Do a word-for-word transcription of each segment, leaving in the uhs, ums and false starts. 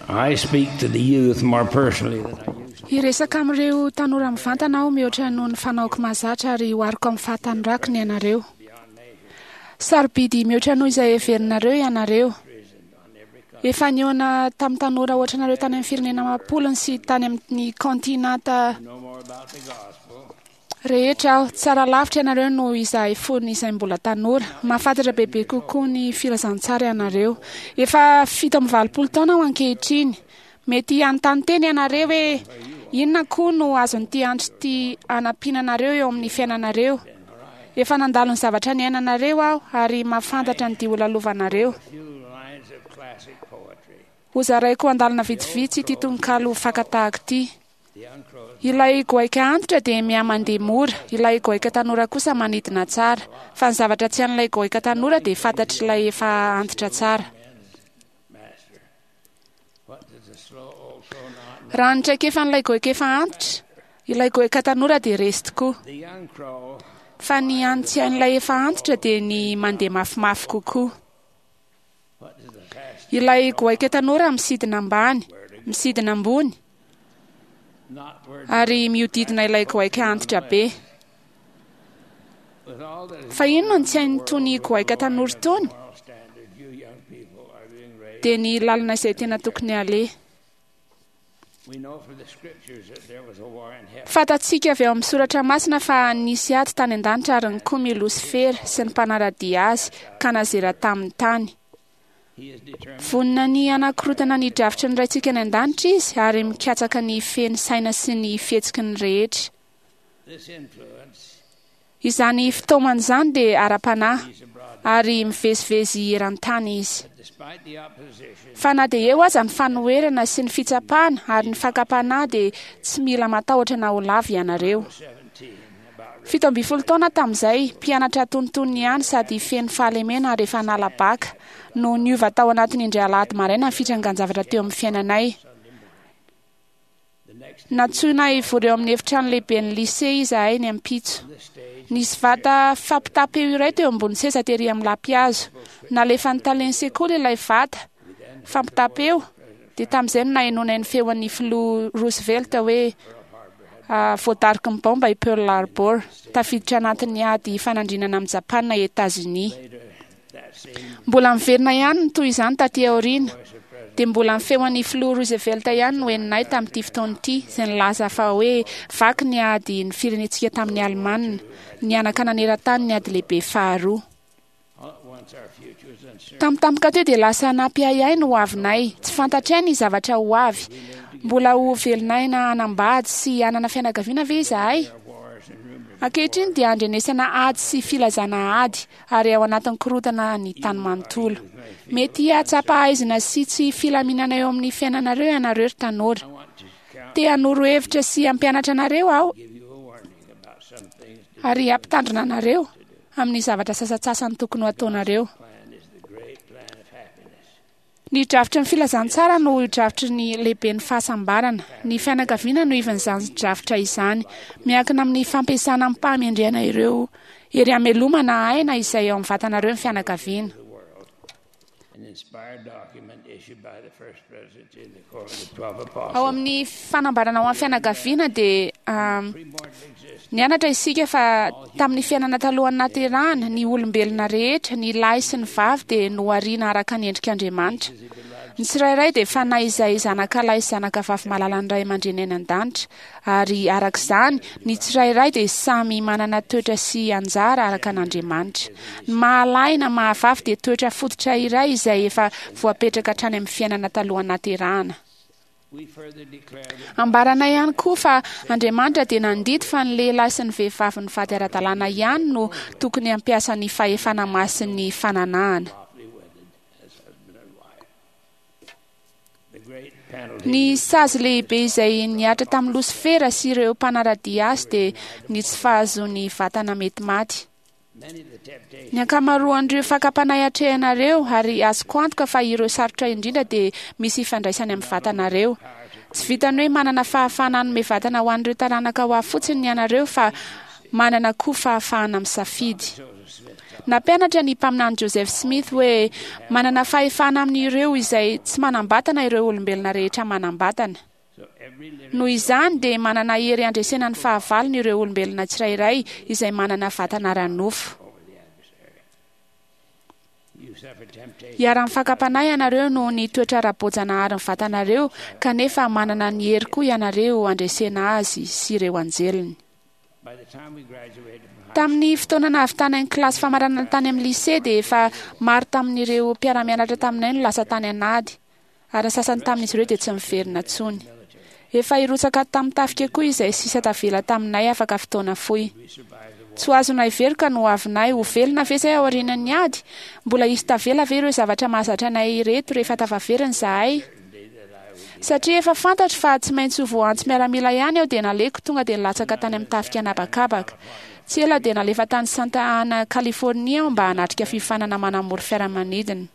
I speak to the youth more personally than I used to. Hiresaka amin'ireo tanora mivantana aho mihoatra noho ny fanaoko mahazatra ary ohariko amin'ny fahatanorako ny anareo. Sarobidy mihoatra noho izay heverinareo ianareo. Efa nihaona tamin'ny tanora ohatra anareo tany amin'ny firenena amam-polony sy tany amin'ny kontinanta Know more about the gospel rehetra aho. Tsara lavitra ianareo noho izahay fony izay mbola tanora. Mahafantatra bebe kokoa ny filazantsara ianareo. Efa fito amby valopolo taona aho ankehitriny. Mety hanontany tena ianareo hoe inona koa no azon'ity andro ity hanampiana anareo eo amin'ny fiainanareo. Efa nandalo ny zavatra niainanareo aho ary mahafantatra ny dia ho lalovanareo. few lines of classic poetry. Hozaraiko andalana vitsivitsy ity tononkalo fakatahaka ity. The young crow Ilay goaika antitra dia mihamandeha mora, ilay goaika tanora kosa manidina tsara. Fa ny zavatra tsy an'ilay goaika tanora dia fantatr'ilay efa antitra tsara. master. What does the slow old crow not know? Raha ny traikefan'ilay goaika efa antitra, ilay goaika tanora dia resy tokoa. The young crow Fa ny hany tsy hain'ilay efa antitra dia ny mandeha mafimafy kokoa. What does the fast Ilay goaika tanora misidina ambany, misidina ambony not word ary mihodidina ilay goaika antitra be. with all that is Fa inona no tsy hain'itony goaika tanora itony? moral standard you young people are being raised. Dia ny lalana izay tena tokony haleha. We know from the scriptures that there was a war in heaven. Fantatsika avy ao amin'ny soratra masina fa nisy ady tany an-danitra ary nikomy i Losifera sy ny mpanara-dia azy ka nazera tamin'ny tany. He is determined Vonona ny hanakorotana ny drafitry ny raintsika any an-danitra izy ary mikatsaka ny feny saina sy ny fihetsiky ny rehetra. this influence Izany fitaomana izany dia ara-panahy is abroad. ary mivezivezy eran-tany izy. But despite the opposition, Fa na dia eo aza ny fanoherana sy ny fitsapana ary ny fakam-panahy dia tsy mila matahotra na ho lavo ianareo. seventeen about Fito ambin'ny folo taona tamin'izay, mpianatra tonontonony ihany sady feno fahalemena ary efa nala-baka no niova tao anatin'ny indray alahady maraina ny fitrangan-javatra teo amin'ny fiainanay. the next Nantsoina hivory eo amin'ny efitrano lehiben'ny lycée izahay ny ampitso. on the stage Nisy vata fampitam-peo iray teo ambony seza tery amin'ny lampihazo. Nalefan'ny talen'ny sekoly ilay vata fampitam-peo dia tamin'izay no nahenoana ny feon'ny filoha Roosevelt hoe ah, voadariky ny baomba i Pearl Harbor, tafiditra anatin'ny ady fanandrinana amin'i Japana i Etazonia. later that same Mbola miverina ihany ny toy izany taty aoriana. voice of President Dia mbola ny feon'ny filoha Roosevelt ihany no henonay tamin'ity fotoana ity, izay nilaza fa hoe vaky ny ady ny firenentsika tamin'ny Alemana, nianaka naneran-tany ny ady lehibe faharoa. all at once our future was uncertain. Tampotampoka teo dia lasa nampiahiahy ny ho avinay. Tsy fantatray ny zavatra ho avy. Mbola ho velon'aina hanambady sy hanana fianakaviana ve izahay? There are wars and rumors Ankehitriny dia andrenesana ady sy filazana ady ary ao anatin'ny korotana ny tany manontolo. Mety hahatsapa haizina sy tsy filaminana eo amin'ny fiainanareo ianareo ry tanora. I want to count Te hanoro hevitra sy hampianatra anareo aho give you a warning about some things to ary hampitandrina anareo amin'ny zavatra sasantsasany tokony ho ataonareo. plan is the great plan of happiness. Ny drafitry ny filazantsara no drafitry ny lehiben'ny fahasambarana. Ny fianakaviana no ivan'izany drafitra izany. Miankina amin'ny fampiasana amim-pahamendrehana ireo hery hamelomana aina izay eo amin'ny vatanareo ny fianakaviana. The world. An inspired document issued by the first presidency in the Quorum of the Twelve Apostles. Ao amin'ny fanambarana ho an'ny fianakaviana dia um, Premortal existence nianatra isika fa tamin'ny fiainana talohan'ny naterahana ny olombelona rehetra, ny lahy sy ny vavy dia nohariana araka ny endrik'Andriamanitra. Ny tsirairay dia fanahy izay zanaka lahy sy zanaka vavy malalan'ny ray aman-dreny any an-danitra ary araka izany ny tsirairay dia samy manana toetra sy anjara araka an'Andriamanitra. Ny mahalahy na mahavavy dia toetra fototra iray izay efa voapetraka hatrany amin'ny fiainana talohan'ny naterahana. We further declare that Ambaranay ihany koa fa Andriamanitra dia nandidy fa ny lehilahy sy ny vehivavy nivady ara-dalàna ihany no tokony hampiasa ny fahefana masin'ny fananahana. lawfully wedded as husband and wife. The great penalty Ny sazy lehibe izay nihatra tamin'ny Losifera sy ireo mpanara-dia azy dia ny tsy fahazoany vatana mety maty. many of the temptations Ny ankamaroan'ireo fakam-panahy atrehanareo ary azoko antoka fa ireo sarotra indrindra dia misy ifandraisany amin'ny vatanareo. Tsy vitany hoe manana fahafahana hanome vatana ho an'ireo taranaka ho avy fotsiny ianareo fa manana koa fahafahana misafidy. Joseph Smith Nampianatra ny mpaminany Joseph Smith hoe manana fahefana amin'ireo izay tsy manam-batana ireo olombelona rehetra manam-batana. Noho izany dia manana hery handresena ny fahavalony ireo olombelona tsirairay izay manana vatana ara-nofo. Iharan'ny fakam-panahy ianareo noho ny toetra ara-boajanahary ny vatanareo, kanefa manana ny hery koa ianareo handresena azy sy ireo anjeliny. Tamin'ny fotoana nahavitana ny kilasy famaranana tany amin'ny lycée dia efa maro tamin'ireo mpiara-mianatra taminay no lasa tany an'ady, ary ny sasany tamin'izy ireo dia tsy miverina intsony. Efa hirotsaka tamin'ny tafika koa izay sisa tavela taminay afaka fotoana fohy. Tsy ho azonay veroka no avinay ho velona ve izay aorian'ny ady? Mbola hisy tavela ve ireo zavatra mahazatra anay ireto rehefa tafaverina izahay? Satria efa fantatro fa tsy maintsy ho voantso miaramila ihany aho dia naleko tonga dia nilatsaka tany amin'ny tafika an'habakabaka. Tsy ela dia nalefa tany Santa Ana, Californie aho mba hanatrika fiofanana manamory fiaramanidina.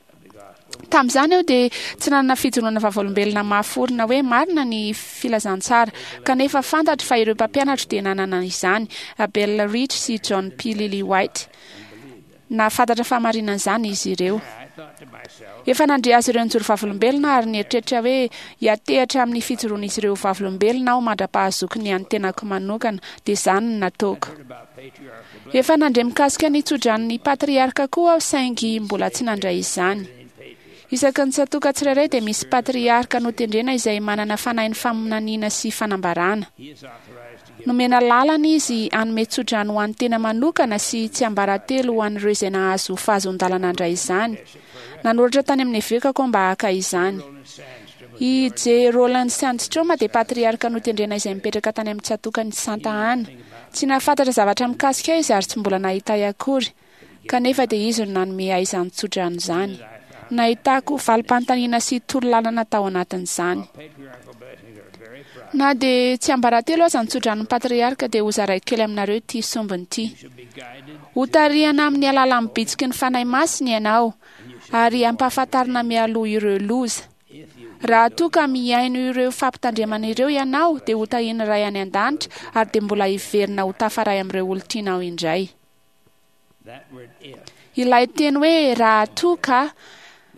Tamin'izany aho dia tsy nanana fijoroana vavolombelona mahaforona hoe marina ny filazantsara, kanefa fantatro fa ireo mpampianatro dia nanana izany, Abel Rich sy John P. Lillywhite. Nahafantatra fahamarinan'izany izy ireo. Efa nandre azy ireo nijoro vavolombelona ary nieritreritra hoe hiatehatra amin'ny fijoroan'izy ireo vavolombelona aho mandra-pahazoko ny an'ny tenako manokana, dia izany no nataoko. Efa nandre mikasika ny tsodranon'ny patriarka koa aho saingy mbola tsy nandray izany. Isaky ny tsatoka tsirairay dia misy patriarka notendrena izay manana fanahin'ny faminaniana sy fanambarana. Nomena lalana izy hanome tsodrano ho an'ny tena manokana sy tsiambaratelo ho an'ireo izay nahazo fahazoan-dalana handray izany. Nanoratra tany amin'ny evekako aho mba haka izany. I J. Roland Sandstrom dia patriarka notendrena izay mipetraka tany amin'ny tsatokany Santa Ana. Tsy nahafantatra zavatra mikasika ahy izy ary tsy mbola nahita ahy akory, kanefa dia izy no nanome ahy izany tsodrano izany. Nahitako valim-panontaniana sy torolalana tao anatin'izany. Na dia tsy ambaratelo aza ny tsodranon'ny patriarka dia hozaraiko kely aminareo ity sombiny ity. Hotarihana amin'ny alalan'ny bitsiky ny Fanahy Masina ianao ary hampahafantarina mialoha ireo loza. Raha toa ka mihaino ireo fampitandremana ireo ianao dia hotahian'ny Ray any an-danitra ary dia mbola hiverina ho tafaray amin'ireo olon-tianao indray. Ilay teny hoe raha toa ka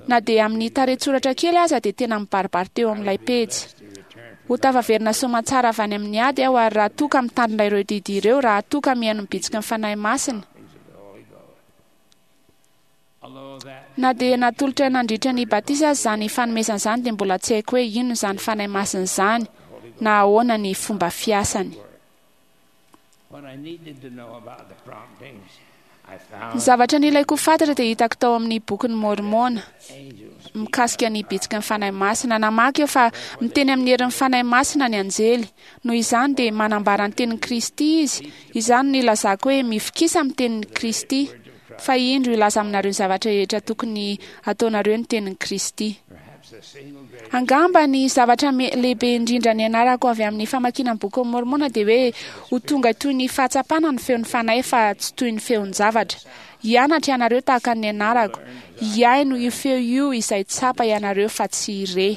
na dia amin'ny tarehin-tsoratra kely aza dia tena mibaribary teo amin'ilay pejy. Ho tafaverina soamantsara avy any amin'ny ady aho ary raha toa ka mitandrina ireo didy ireo, raha toa ka mihaino ny bitsiky ny Fanahy Masina. Na dia natolotra nandritra ny batisa aza izany fanomezana izany dia mbola tsy haiko hoe inona izany Fanahy Masina izany na ahoana ny fomba fiasany. Ny zavatra nilaiko fantatra dia hitako tao amin'ny bokin'ny Môrmôna mikasika ny bitsiky ny Fanahy Masina. Namaky aho fa miteny amin'ny herin'ny Fanahy Masina ny anjely. Noho izany dia manambara ny tenin'i Kristy izy. Izany no ilazako hoe mifikisa amin'ny tenin'i Kristy. Fa indro hilaza aminareo ny zavatra rehetra tokony ataonareo ny tenin'i Kristy. Angamba ny zavatra lehibe indrindra nianarako avy amin'ny famakiana ny bokin'ny Môrmôna dia hoe ho tonga toy ny fahatsapana ny feon'ny Fanahy fa tsy toy ny feon-javatra. Hianatra ianareo tahaka ny nianarako. Hihaino io feo io izay tsapa ianareo fa tsy re.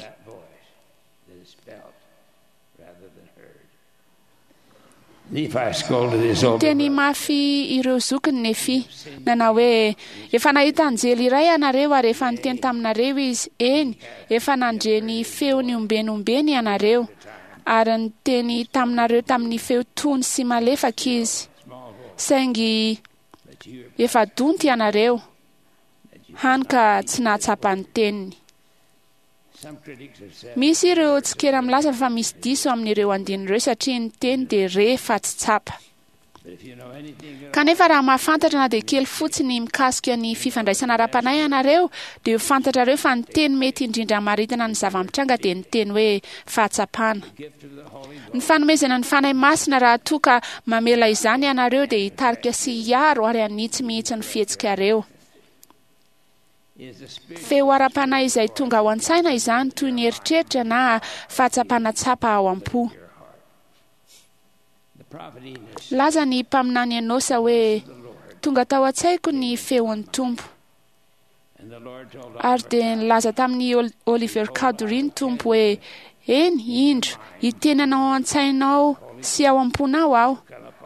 Teny mafy ireo zokiny Nefy. Nanao hoe efa nahita anjely iray ianareo ary efa niteny taminareo izy. Eny, efa nandre ny feony ombeny ombeny ianareo ary niteny taminareo tamin'ny feo tony sy malefaka izy. Saingy efa donto ianareo, hany ka tsy nahatsapa ny teniny. Misy ireo tsikera milaza fa misy diso amin'ireo andininy ireo satria ny teny dia re fa tsy tsapa. Kanefa raha mahafantatra na dia kely fotsiny mikasika ny fifandraisana ara-panahy ianareo dia ho fantatrareo fa ny teny mety indrindra hamaritana ny zava-mitranga dia ny teny hoe fahatsapana. Ny fanomezana ny Fanahy Masina raha toa ka mamela izany ianareo dia hitarika sy hiaro ary hanitsy mihitsy ny fihetsikareo. Feo ara-panahy izay tonga ao an-tsaina izany toy ny eritreritra na fahatsapana tsapa ao am-po. Laza ny mpaminany Enôsa hoe tonga tao an-tsaiko ny feon'ny Tompo. Ary dia nilaza tamin'ny Oliver Cowdery ny Tompo hoe eny, indro, hiteny anao ao an-tsainao sy ao am-ponao aho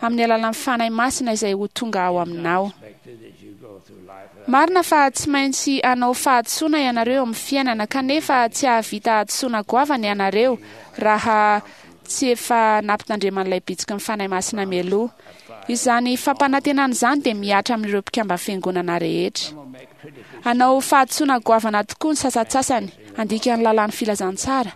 amin'ny alalan'ny Fanahy Masina izay ho tonga ao aminao. Marina fa tsy maintsy hanao fahadisoana ianareo amin'ny fiainana, kanefa tsy hahavita hadisoana goavana ianareo raha tsy efa nampitandreman'ilay bitsiky ny Fanahy Masina mialoha. Izany fampanantenana izany dia mihatra amin'ireo mpikamba fiangonana rehetra. Hanao fahadisoana goavana tokoa ny sasantsasany handika ny lalàn'ny filazantsara.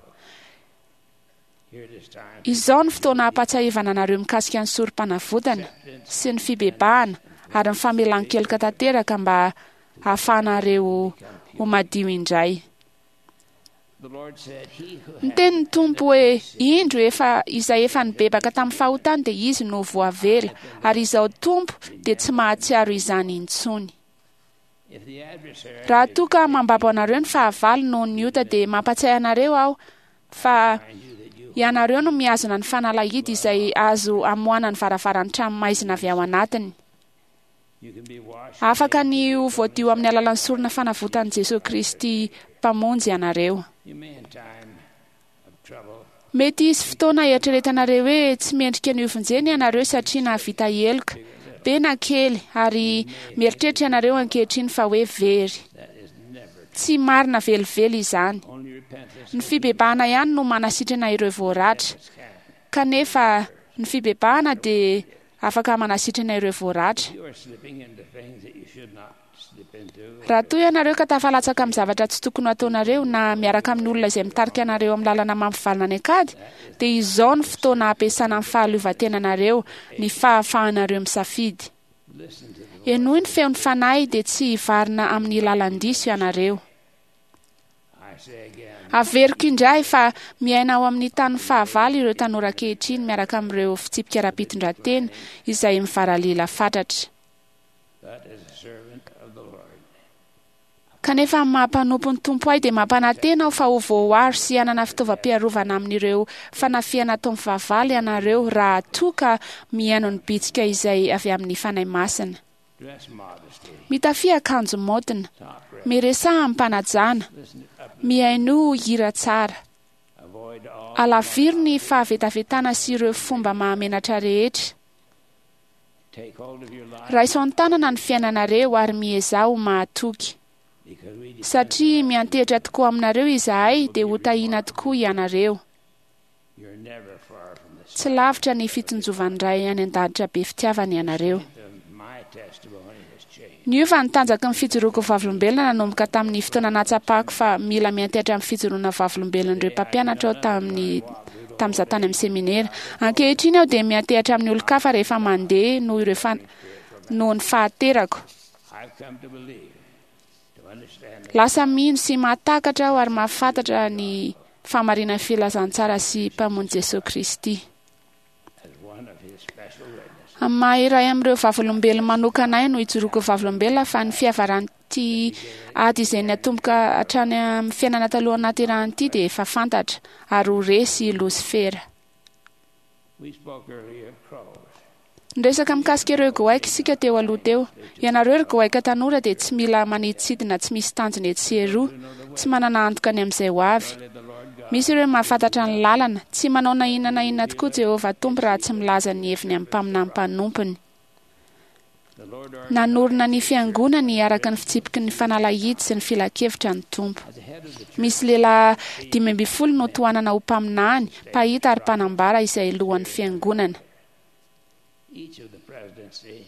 Izao ny fotoana hampatsiahivana anareo mikasika ny sorom-panavotana sy ny fibebahana ary ny famelan-keloka tanteraka mba hahafahanareo ho madio indray. Niteny ny Tompo hoe indro efa izay efa nibebaka tamin'ny fahotany dia izy no voavela, ary izao Tompo dia tsy mahatsiaro izany intsony. Raha toa ka mambabo anareo ny fahavalo noho ny ota, dia mampatsiahy anareo aho fa ianareo no mihazona ny fanalahidy izay azo amoahana ny varavaran'ny trano maizina avy ao anatiny. Afaka ny ho voadio amin'ny alalan'ny sorona fanavotan'i Jesosy Kristy Mpamonjy ianareo. Mety hisy fotoana eritreretanareo hoe tsy mendrika ny hovonjena ianareo satria nahavita heloka be na kely, ary mieritreritra ianareo ankehitriny fa hoe very. Tsy marina velively izany. Ny fibebahana ihany no manasitrana ireo voaratra, kanefa ny fibebahana dia afaka manasitrana ireo voaratra. Raha toa ianareo ka tafalatsaka amin'ny zavatra tsy tokony hataonareo na miaraka amin'ny olona izay mitarika anareo amin'ny lalana mampivalona any an-kady, dia izao ny fotoana hampiasana ny fahaleovantenanareo, ny fahafahanareo misafidy. Henoy ny feon'ny Fanahy dia tsy hivarina amin'ny lalan-diso ianareo. Averiko indray fa miaina ao amin'ny tany fahavalo ireo tanora ankehitriny miaraka amin'ireo fitsipika ara-pitondran-tena izay mivaralila fatratra. Kanefa amin'ny maha-mpanompo ny Tompo ahy dia mampanantena aho fa ho voaaro sy hanana fitaovam-piarovana amin'ireo fanafihana ataon'ny fahavalo ianareo raha toa ka mihaino ny bitsika izay avy amin'ny Fanahy Masina. Mitafia akanjo maotina, miresaha amim-panajana, mihainoa hira tsara. Alaviro ny fahavetavetana sy ireo fomba mahamenatra rehetra. Raiso an-tanana ny fiainanareo ary miezaha ho mahatoky. Satria miantehitra tokoa aminareo izahay dia ho tahiana tokoa ianareo. Tsy lavitra ny fitsinjovan'ny Ray any an-danitra be fitiavana ianareo. Niova ny tanjaky ny fijoroako vavolombelona nanomboka tamin'ny fotoana nahatsapako fa mila miantehitra amin'ny fijoroana vavolombelon'ireo mpampianatra aho tamin'ny tamin'izaho tany amin'ny seminera. Ankehitriny aho dia miantehitra amin'ny olon-kafa rehefa mandeha noho ireo fa noho ny fahaterako. Lasa mino sy mahatakatra aho ary mahafantatra ny fahamarinan'ny filazantsara sy Mpamonjy Jesosy Kristy. Amin'ny maha iray amin'ireo vavolombelona manokana ahy no ijoroako vavolombelona fa ny fiavaran'ity ady izay niatomboka hatrany amin'ny fiainana talohan'ny nahaterahana ity dia efa fantatra ary ho resy i Losifera. Niresaka mikasika ireo goaika isika teo aloha teo. Ianareo ry goaika tanora dia tsy mila manidintsidina tsy misy tanjona etsy sy eroa, tsy manana antoka ny amin'izay ho avy. Misy ireo mahafantatra ny lalana, tsy manao na inona na inona tokoa Jehovah Tompo raha tsy milaza ny heviny amin'ny mpaminany mpanompony. Nanorina ny fiangonany araka ny fitsipiky ny fanalahidy sy ny filankevitra ny Tompo. Misy lehilahy dimy ambin'ny folo no tohanana ho mpaminany, mpahita ary mpanambara izay lohan'ny fiangonana.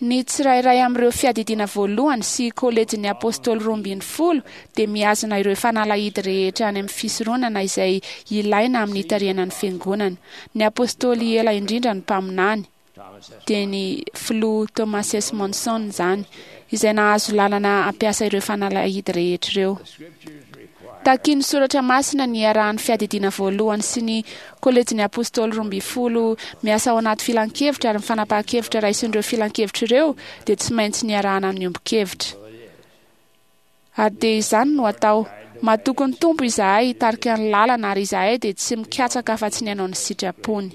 Ny tsirairay amin'ireo fiadidiana voalohany sy kolejin'ny apôstôly roa ambin'ny folo dia mihazona ireo fanalahidy rehetra any amin'ny fisoronana izay ilaina amin'ny hitarihana ny fiangonana. Ny apôstôly ela indrindra ny mpaminany, dia ny filoha Thomas S. Monson izany, izay nahazo lalana hampiasa ireo fanalahidy rehetra ireo. Takian'ny soratra masina ny iarahan'ny fiadidiana voalohany sy ny kolejin'ny apôstôly roa ambin'ny folo miasa ao anaty filankevitra, ary ny fanapahan-kevitra raisin'ireo filankevitra ireo dia tsy maintsy niarahana amin'ny ombon-kevitra. Ary dia izany no atao. Matoky ny Tompo izahay hitarika ny lalana, ary izahay dia tsy mikatsaka afa-tsy ny hanao ny sitrapony.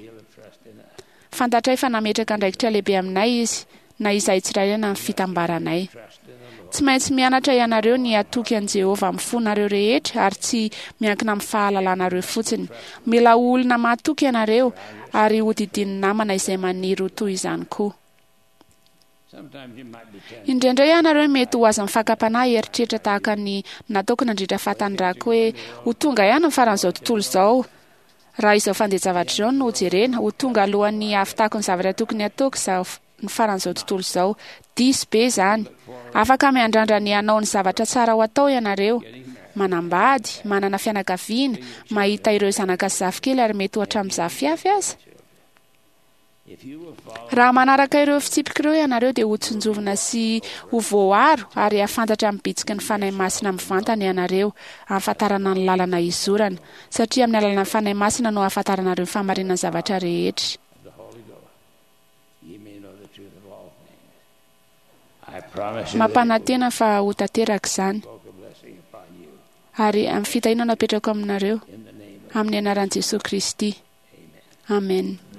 Fantatray fa nametraka andraikitra lehibe aminay izy, na izahay tsirairay na ny fitambaranay. Tsy maintsy mianatra ianareo ny hatoky an'i Jehovah amin'ny fonareo rehetra ary tsy miankina amin'ny fahalalanareo fotsiny. Mila olona mahatoky ianareo ary hodidin'ny namana izay maniry ho toy izany koa. Sometimes you might be tempted Indraindray ianareo mety ho azon'ny fakam-panahy eritreritra tahaka ny nataoko nandritra fahatanirako hoe ho tonga ihany ny faran'izao tontolo izao. Raha izao fandeha-javatra izao no jerena, ho tonga alohan'ny hahavitako ny zavatra tokony hataoko izao ny faran'izao tontolo izao. Diso be izany. Afaka miandrandra ny hanao ny zavatra tsara ho atao ianareo. Manambady, manana fianakaviana, mahita ireo zanaka sy zafikely ary mety ho hatramin'ny zafiafy aza. if you will follow Raha manaraka ireo fitsipika ireo ianareo dia ho tsinjovina sy ho voaro ary hahafantatra amin'ny bitsiky ny Fanahy Masina mivantana ianareo ahafantarana ny lalana izorana, satria amin'ny alalan'ny Fanahy Masina no ahafantaranareo ny fahamarinan'ny zavatra rehetra. of the Holy Ghost, ye may know the truth of all things. I promise you that it will Mampanantena fa ho tanteraka izany invoke a blessing upon you ary amin'ny fitahiana no apetrako aminareo in the name of amin'ny anaran'i Jesosy Kristy. Amen. Amen.